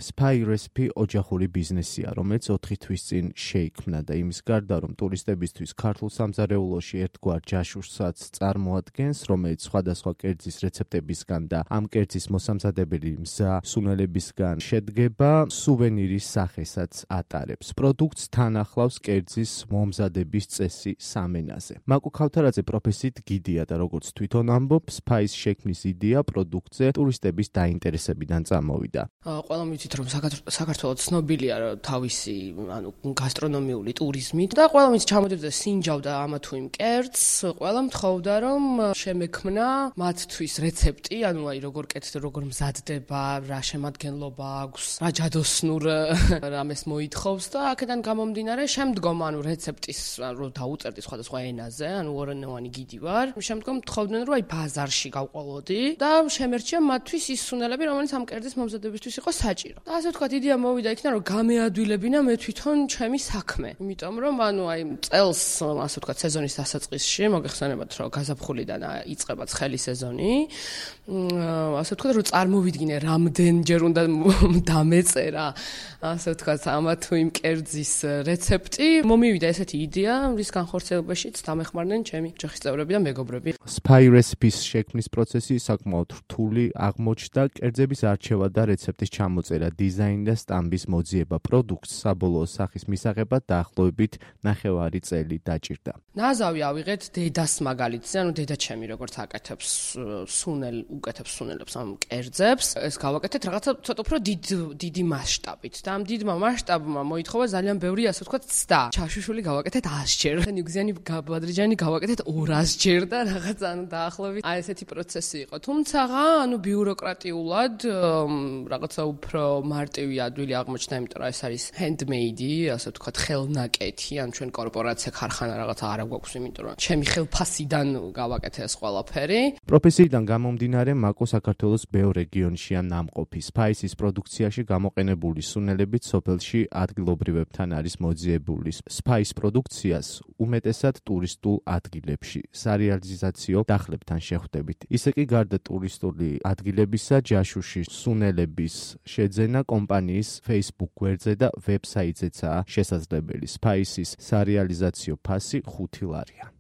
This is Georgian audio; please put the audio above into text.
Spy Recipe ოჯახური ბიზნესია, რომელიც 4 თვის წინ შეიქმნა და იმის გარდა, რომ ტურისტებისთვის ქართულ სამზარეულოში ერთგვარ ჯაშუშსაც წარმოადგენს, რომელიც სხვადასხვა კერძის რეცეპტებისგან და ამ კერძის მოსამზადებელი მზა სუნელებისგან შედგება, სუვენირის სახესაც ატარებს. პროდუქტს თან ახლავს კერძის მომზადების წესი სამენაზე. მაკუ ქავთარაძე პროფესიით გიდია და როგორც თვითონ ამბობს, Spy-ს შექმნის იდეა პროდუქტზე ტურისტების დაინტერესებიდან წამოვიდა. Ყველამ ვიცით, რომ საქართველოს ცნობილია თავისი, გასტრონომიული ტურიზმით და ყველამ ის ჩამოდიოდა სინჯავდა ამა თუ იმ კერძს, ყველამ თხოვდა, რომ შემექმნა მათთვის რეცეპტი, როგორ კეთდება, როგორ მზადდება, რა შემადგენლობა აქვს, რა ჯადოსნურ რამეს მოითხოვს და აქედან გამომდინარე, შემდგომ რეცეპტის რო დაუწერდი სხვადასხვა ენაზე, ორენოვანი გიდი ვარ. შემდგომ თხოვდნენ, რომ ბაზარში გავყოლოდი და შემერჩია მათთვის ის სუნელები, რომელიც ამ კერძის მომზადებისთვის იყო საჭირო. და ასე ვთქვათ, იდეა მოვიდა იქიდან, რომ გამეადვილებინა მე თვითონ ჩემი საქმე. იმიტომ რომ წელს, ასე ვთქვათ, სეზონის დასაწყისში მოგეხსენებათ, რომ გაზაფხულიდან იწყება ცხელი სეზონი. ასე ვთქვათ, რომ წარმოვიდგინე, რამდენჯერ უნდა დამეწერა, ასე ვთქვათ, ამა თუ იმ კერძის რეცეპტი. მომივიდა ესეთი იდეა, რის განხორციელებაშიც დამეხმარნენ ჩემი ოჯახის წევრები და მეგობრები. Spy Recipes შექმნის პროცესი საკმაოდ რთული აღმოჩნდა, კერძების არჩევა და რეცეპტის ჩამოწერა, დიზაინი და სტამბის მოძიება პროდუქტს საბოლოო სახის მისაღებად დაახლოებით 9 წელი დაჭირდა. ნაზავი ავიღეთ დედას მაგალითზე, დედა ჩემი როგორც აკეთებს უკეთებს სუნელებს ამ კერძებს, ეს გავაკეთეთ რაღაცა ცოტა უფრო დიდი მასშტაბით და ამ დიდმა მასშტაბმა მოითხოვა ძალიან ბევრი, ასე ვთქვათ, ცდა. ჩაშუშვილი გავაკეთეთ 100-ჯერ, ნიუგზიანი ბადრიჯანი გავაკეთეთ 200-ჯერ და რაღაცა დაახლოებით ესეთი პროცესი იყო. თუმცა, ბიუროკრატიულად რაღაცა უფრო მარტივი ადვილი აღმოჩნდა, იმიტომ რომ ეს არის handmade, ასე ვთქვათ, ხელნაკეთი, ჩვენ კორპორაცია, ქარხანა რაღაცა არ გვაქვს, იმიტომ რომ ჩემი ხელფასიდან გავაკეთე ეს ყველაფერი. პროფესიიდან გამომდინარე, მაკო საქართველოს ბევრ რეგიონშია ნამყოფი. Spy-ს პროდუქციაში გამოყენებული სუნელებით სოფელში ადგილობრივებთან არის მოძიებული. Spy-ს პროდუქციას უმეტესად ტურისტულ ადგილებში სარეალიზაციო დახლებთან შეხვდებით. ისე კი გარდა ტურისტული ადგილებისა, ჯაშუში სუნელების შეძენა კომპანიის Facebook გვერდზე და ვებსაიტზეცაა შესაძლებელი. Spy-ს სარეალიზაციო ფასი 5 ლარია.